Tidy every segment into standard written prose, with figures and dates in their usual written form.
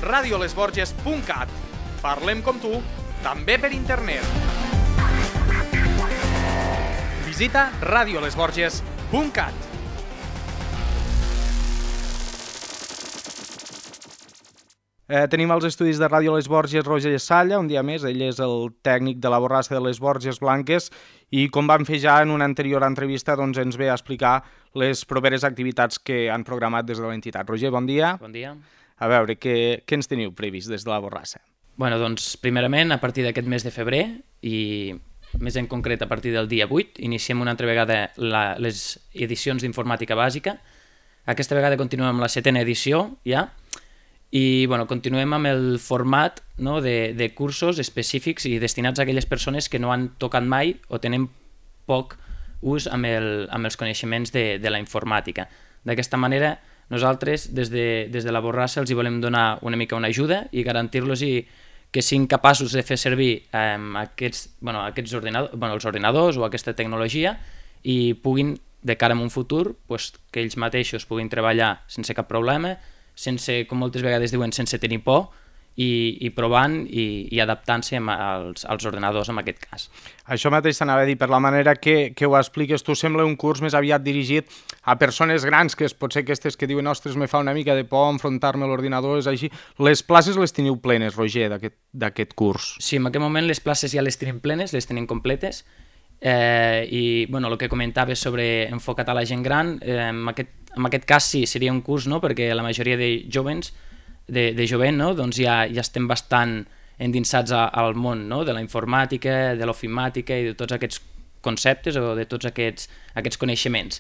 radiolesborges.cat. Parlem com tu, també per internet. Visita radiolesborges.cat. Tenim als estudis de Ràdio Les Borges Roger Salla, un dia més. Ell és el tècnic de la Borrassa de les Borges Blanques i, com vam fer ja en una anterior entrevista, doncs ens ve a explicar les properes activitats que han programat des de l'entitat. Roger, bon dia. Bon dia. A veure, què ens teniu previst des de la Borrassa? Bueno, doncs, primerament, a partir d'aquest mes de febrer i més en concret a partir del dia 8, iniciem una altra vegada les edicions d'informàtica bàsica. Aquesta vegada continuem amb la 7ª edició ja. I bueno, continuem amb el format, no, de cursos específics i destinats a aquelles persones que no han tocat mai o tenen poc ús amb els coneixements de la informàtica. D'aquesta manera, nosaltres des de la Borrassa els hi volem donar una mica una ajuda i garantir-los que siguin capaços de fer servir els ordinadors o aquesta tecnologia i puguin, de cara a un futur, que ells mateixos puguin treballar sense cap problema, sense, com moltes vegades diuen, sense tenir por i provant i adaptant-se als ordinadors en aquest cas. Això mateix t'anava a dir, per la manera que ho expliques tu, sembla un curs més aviat dirigit a persones grans, que pot ser aquestes que diuen ostres, me fa una mica de por enfrontar-me a l'ordinador, és així. Les places les teniu plenes, Roger, d'aquest curs? Sí, en aquest moment les places ja les tenim plenes, les tenim completes, i el que comentaves sobre enfocat a la gent gran, en aquest cas sí, seria un curs, no? Perquè la majoria de jovent, no? Doncs ja estem bastant endinsats al món, no? De la informàtica, de l'ofimàtica i de tots aquests conceptes o de tots aquests coneixements.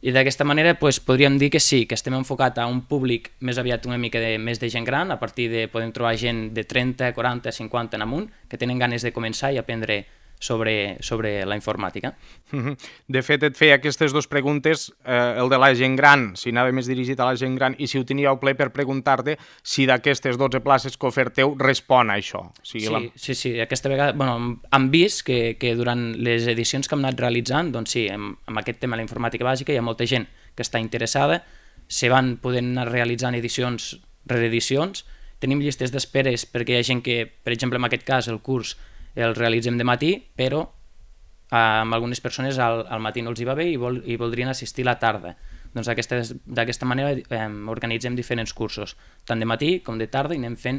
I d'aquesta manera podríem dir que sí, que estem enfocats a un públic més aviat una mica més de gent gran, a partir de podem trobar gent de 30, 40, 50 en amunt, que tenen ganes de començar i aprendre sobre la informàtica. De fet, et feia aquestes dues preguntes, el de la gent gran, si anava més dirigit a la gent gran, i si ho teníeu ple per preguntar-te si d'aquestes 12 places que oferteu respon a això. Sí, aquesta vegada hem vist que durant les edicions que hem anat realitzant, doncs sí, amb aquest tema de la informàtica bàsica hi ha molta gent que està interessada, se van podent anar realitzant edicions, reedicions, tenim llistes d'esperes perquè hi ha gent que, per exemple, en aquest cas, el curs el realitzem de matí, però amb algunes persones al matí no els hi va bé i voldrien assistir a la tarda. Doncs d'aquesta manera organitzem diferents cursos, tant de matí com de tarda, i anem fent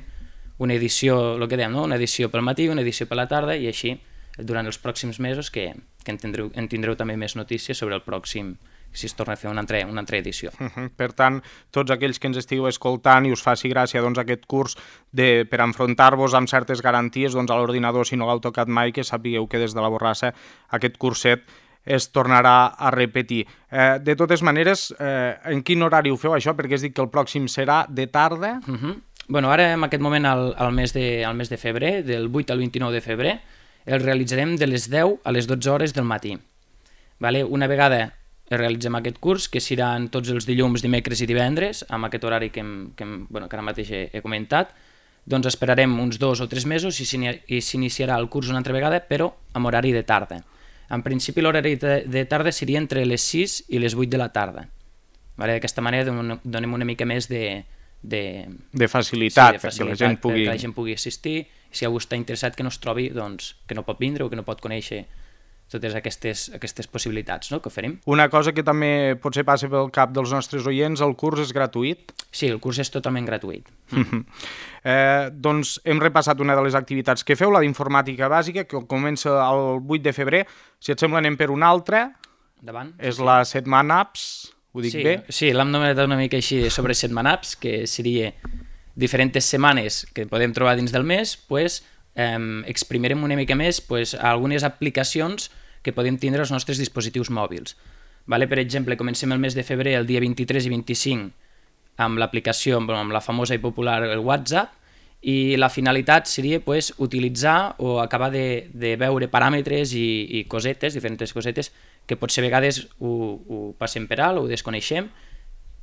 una edició, el que dèiem, no? Una edició pel matí, una edició per la tarda, i així durant els pròxims mesos que en tindreu també més notícies sobre el pròxim, si es torna a fer una altra edició. Per tant, tots aquells que ens estigueu escoltant i us faci gràcia aquest curs per enfrontar-vos amb certes garanties a l'ordinador si no l'heu tocat mai, que sapigueu que des de la Borrassa aquest curset es tornarà a repetir. De totes maneres, en quin horari ho feu això? Perquè has dit que el pròxim serà de tarda. Ara, en aquest moment, al mes de febrer, del 8 al 29 de febrer, el realitzarem de les 10 a les 12 hores del matí. Una vegada realitzem aquest curs, que seran tots els dilluns, dimecres i divendres, amb aquest horari que ara mateix he comentat, doncs esperarem uns 2 o 3 mesos i s'iniciarà el curs una altra vegada, però amb horari de tarda. En principi l'horari de tarda seria entre les 6 i les 8 de la tarda. D'aquesta manera donem una mica més de facilitat, perquè la gent pugui assistir, si algú està interessat que no es trobi, doncs que no pot vindre o que no pot conèixer totes aquestes possibilitats, no?, que oferim. Una cosa que també potser passa pel cap dels nostres oients, el curs és gratuït? Sí, el curs és totalment gratuït. Doncs hem repassat una de les activitats que feu, la d'informàtica bàsica, que comença el 8 de febrer. Si et sembla, anem per una altra. Endavant. És la Setmana Apps, ho dic bé? Sí, l'hem nomenat una mica així sobre Setmana Apps, que seria diferents setmanes que podem trobar dins del mes, exprimirem una mica més algunes aplicacions que podem tindre als nostres dispositius mòbils. Per exemple, comencem el mes de febrer, el dia 23 i 25, amb l'aplicació, amb la famosa i popular WhatsApp, i la finalitat seria utilitzar o acabar de veure paràmetres i cosetes, diferents cosetes, que potser a vegades ho passem per alt o ho desconeixem,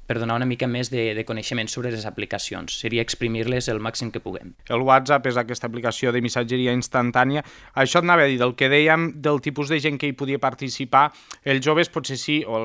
per donar una mica més de coneixement sobre les aplicacions. Seria exprimir-les el màxim que puguem. El WhatsApp és aquesta aplicació de missatgeria instantània. Això et anava a dir, del que dèiem, del tipus de gent que hi podia participar, els joves potser sí, o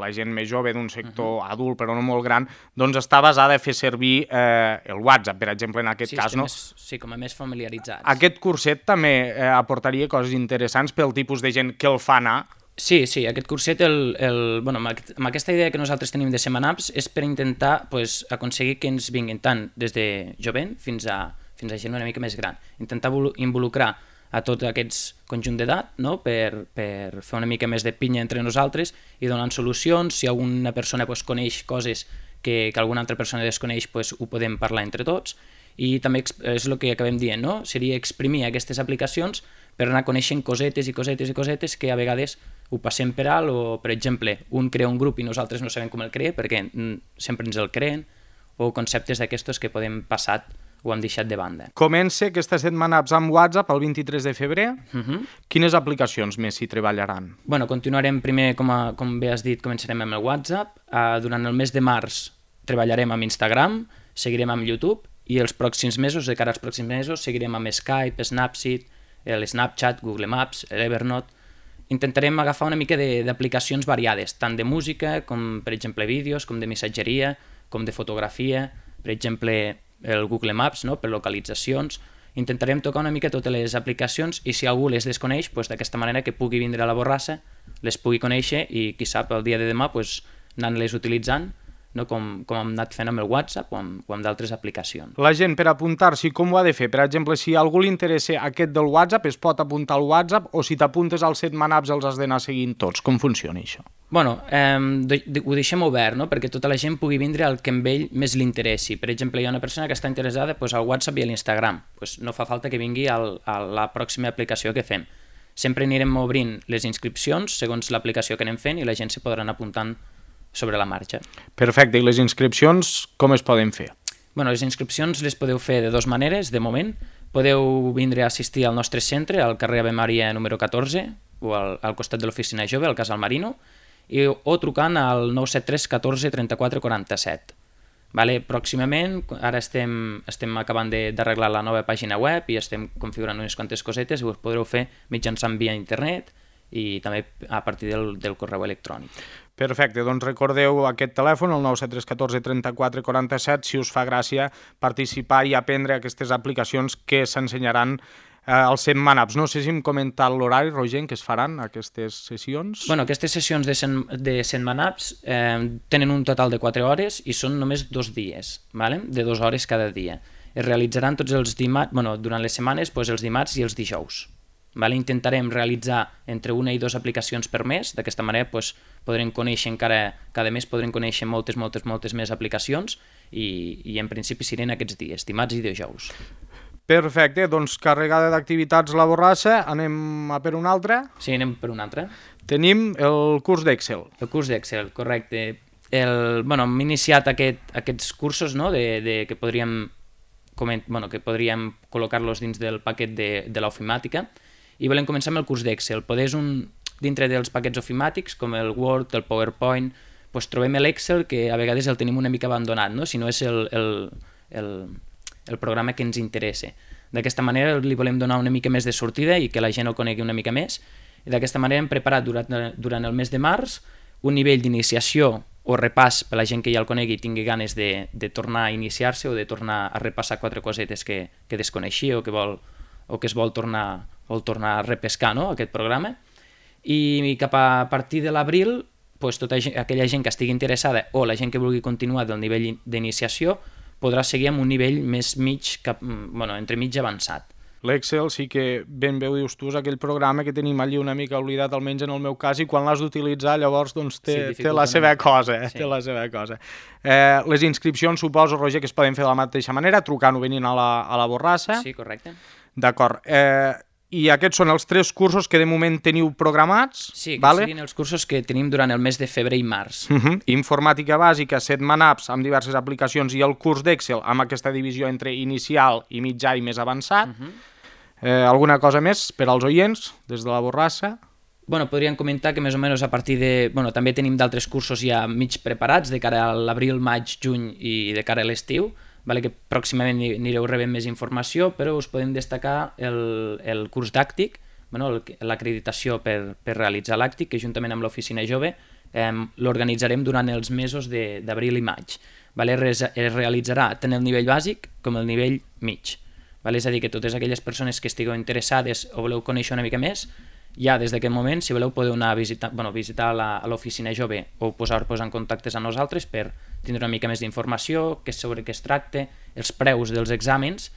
la gent més jove d'un sector adult però no molt gran, doncs està basada a fer servir el WhatsApp, per exemple, en aquest cas. No? Sí, com a més familiaritzats. Aquest curset també aportaria coses interessants pel tipus de gent que el fa anar. Sí, aquest curset, amb aquesta idea que nosaltres tenim de Setmanapps és per intentar aconseguir que ens vinguin tant des de jovent fins a gent una mica més gran. Intentar involucrar a tot aquest conjunt d'edat, no? per fer una mica més de pinya entre nosaltres i donant solucions. Si alguna persona coneix coses que alguna altra persona desconeix, ho podem parlar entre tots. I també és el que acabem dient, no? Seria exprimir aquestes aplicacions per anar coneixent cosetes i cosetes i cosetes que a vegades ho passem per alt, o, per exemple, un crea un grup i nosaltres no sabem com el crea perquè sempre ens el creen, o conceptes d'aquestos que podem passat o hem deixat de banda. Comença aquesta Setmanapps amb WhatsApp el 23 de febrer. Quines aplicacions més s'hi treballaran? Continuarem primer, com bé has dit, començarem amb el WhatsApp. Durant el mes de març treballarem amb Instagram, seguirem amb YouTube, i els pròxims mesos, de cara als pròxims mesos, seguirem amb Skype, Snapseed, l'Snapchat, Google Maps, l'Evernote. Intentarem agafar una mica d'aplicacions variades, tant de música, com per exemple vídeos, com de missatgeria, com de fotografia, per exemple el Google Maps, no? Per localitzacions. Intentarem tocar una mica totes les aplicacions i si algú les desconeix, d'aquesta manera que pugui vindre a la Borrassa, les pugui conèixer i qui sap el dia de demà anant-les utilitzant, no? Com hem anat fent amb el WhatsApp o amb d'altres aplicacions. La gent per apuntar-s'hi com ho ha de fer? Per exemple, si a algú li interessa aquest del WhatsApp, es pot apuntar al WhatsApp, o si t'apuntes al Setmanapps els has d'anar seguint tots? Com funciona això? Ho deixem obert, no? Perquè tota la gent pugui vindre al que a ell més li interessi. Per exemple, hi ha una persona que està interessada al WhatsApp i a l'Instagram. No fa falta que vingui a la pròxima aplicació que fem. Sempre anirem obrint les inscripcions segons l'aplicació que anem fent i la gent s'hi podrà anar apuntant sobre la marxa. Perfecte, i les inscripcions com es poden fer? Les inscripcions les podeu fer de dues maneres, de moment. Podeu vindre a assistir al nostre centre, al carrer Ave Maria número 14, o al costat de l'oficina jove, al Casal Marino, o trucant al 973 14 34 47. Pròximament, ara estem acabant d'arreglar la nova pàgina web i estem configurant unes quantes cosetes i us podreu fer mitjançant via internet i també a partir del correu electrònic. Perfecte, doncs recordeu aquest telèfon, el 973 14 34 47, si us fa gràcia participar i aprendre aquestes aplicacions que s'ensenyaran als Setmanapps. No sé si hem comentat l'horari, Roger, en què es faran aquestes sessions? Aquestes sessions de Setmanapps tenen un total de 4 hores i són només 2 dies, de 2 hores cada dia. Es realitzaran tots els dimarts, durant les setmanes, els dimarts i els dijous. Intentarem realitzar entre 1 i 2 aplicacions per mes, d'aquesta manera podrem conèixer cada mes podrem conèixer moltes més aplicacions i en principi seran aquests dies, dimarts i dijous. Perfecte, doncs carregada d'activitats la Borrassa, anem a per una altra? Sí, anem per una altra. Tenim el curs d'Excel. El curs d'Excel, correcte. Hem iniciat aquests cursos que podríem col·locar-los dins del paquet de l'ofimàtica i volem començar amb el curs d'Excel. Dintre dels paquets ofimàtics, com el Word, el PowerPoint, trobem l'Excel, que a vegades el tenim una mica abandonat, si no és el programa que ens interessa. D'aquesta manera li volem donar una mica més de sortida i que la gent el conegui una mica més. I d'aquesta manera hem preparat durant el mes de març un nivell d'iniciació o repàs per la gent que ja el conegui i tingui ganes de tornar a iniciar-se o de tornar a repassar 4 cosetes que desconeixia o que es vol tornar a repescar, aquest programa. I cap a partir de l'abril, tota aquella gent que estigui interessada o la gent que vulgui continuar del nivell d'iniciació podrà seguir amb un nivell més entremig avançat. L'Excel sí que ben bé ho dius tu, és aquell programa que tenim allí una mica oblidat, almenys en el meu cas, i quan l'has d'utilitzar llavors té la seva cosa. Té la seva cosa. Les inscripcions suposo, Roger, que es poden fer de la mateixa manera, trucant o venint a la Borrassa. Sí, correcte. D'acord. I aquests són els 3 cursos que de moment teniu programats? Sí, que siguin els cursos que tenim durant el mes de febrer i març. Informàtica bàsica, Setmanapps amb diverses aplicacions i el curs d'Excel amb aquesta divisió entre inicial i mitjà i més avançat. Alguna cosa més per als oients des de la Borrassa? Bueno, podríem comentar que més o menys a partir de... Bueno, també tenim d'altres cursos ja mig preparats de cara a l'abril, maig, juny i de cara a l'estiu, vale? Que pròximament anireu rebent més informació, però us podem destacar el curs d'Àctic, bueno, l'acreditació per realitzar l'Àctic, que juntament amb l'Oficina Jove l'organitzarem durant els mesos d'abril i maig. Vale? Es realitzarà tant el nivell bàsic com el nivell mig. Vale? És a dir, que totes aquelles persones que estigueu interessades o voleu conèixer una mica més, ja des d'aquest moment, si voleu, podeu anar a visitar a l'Oficina Jove o posar-vos en contactes amb nosaltres per tindre una mica més d'informació, sobre què es tracta, els preus dels exàmens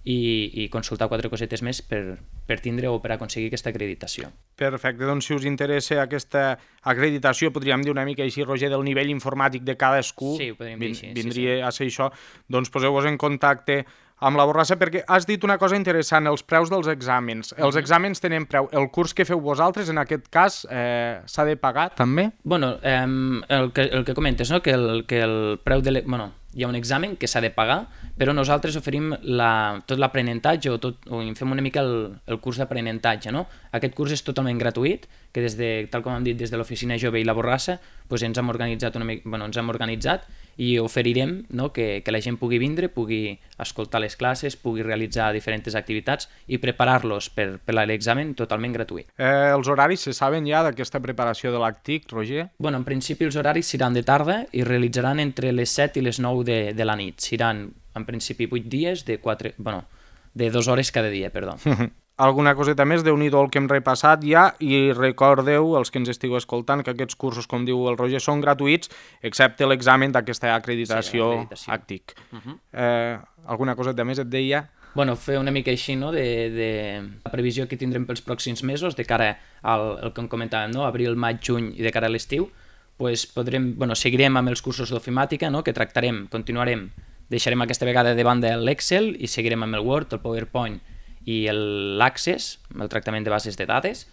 i consultar 4 cosetes més per tindre o per aconseguir aquesta acreditació. Perfecte, doncs si us interessa aquesta acreditació, podríem dir una mica així, Roger, del nivell informàtic de cadascú, sí, ho podríem dir així, vindria a ser això, doncs poseu-vos en contacte amb la Borrassa, perquè has dit una cosa interessant, els preus dels exàmens. Els exàmens tenen preu. El curs que feu vosaltres, en aquest cas, s'ha de pagar també? Bueno, el que comentes, no? que el preu de... hi ha un examen que s'ha de pagar, però nosaltres oferim tot l'aprenentatge o fem una mica el curs d'aprenentatge. No? Aquest curs és totalment gratuït, que tal com hem dit, des de l'Oficina Jove i la Borrassa ens hem organitzat i oferirem, no? que la gent pugui vindre, pugui escoltar les classes, pugui realitzar diferents activitats i preparar-los per l'examen totalment gratuït. Els horaris se saben ja d'aquesta preparació de l'Àctic, Roger? Bueno, en principi els horaris seran de tarda i realitzaran entre les 7 i les 9 de la nit. Seran, en principi, 8 dies de 2 hores cada dia, perdó. Alguna coseta més, Déu-n'hi-do el que hem repassat ja, i recordeu, els que ens estigueu escoltant, que aquests cursos, com diu el Roger, són gratuïts, excepte l'examen d'aquesta acreditació Àctic. Alguna coseta més et deia? Bueno, fer una mica així, no?, de la previsió que tindrem pels pròxims mesos, de cara al que comentàvem, no?, abril, maig, juny i de cara a l'estiu, pues seguirem amb els cursos d'ofimàtica, no?, que continuarem, deixarem aquesta vegada de banda l'Excel i seguirem amb el Word, el PowerPoint i l'Access, el tractament de bases de dades.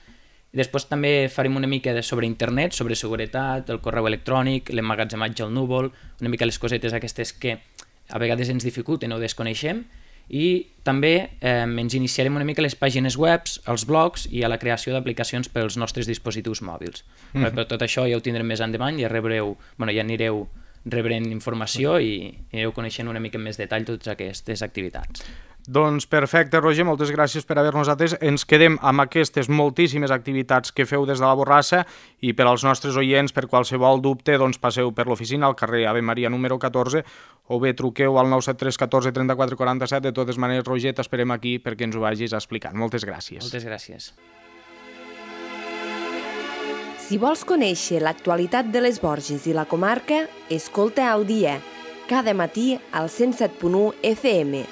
I després també farem una mica sobre internet, sobre seguretat, el correu electrònic, l'emmagatzematge al núvol, una mica les cosetes aquestes que a vegades ens dificulten o desconeixem, i també ens iniciarem una mica les pàgines web, els blogs i a la creació d'aplicacions pels nostres dispositius mòbils. Però tot això ja ho tindrem més endavant, ja anireu rebent informació i anireu coneixent una mica més detall totes aquestes activitats. Doncs perfecte, Roger, moltes gràcies per haver-nos atès. Ens quedem amb aquestes moltíssimes activitats que feu des de la Borrassa i per als nostres oients, per qualsevol dubte, doncs passeu per l'oficina al carrer Ave Maria número 14 o bé truqueu al 973 14 34 47. De totes maneres, Roger, t'esperem aquí perquè ens ho vagis explicant. Moltes gràcies. Moltes gràcies. Si vols conèixer l'actualitat de les Borges i la comarca, escolta Al Dia, cada matí al 107.1 FM.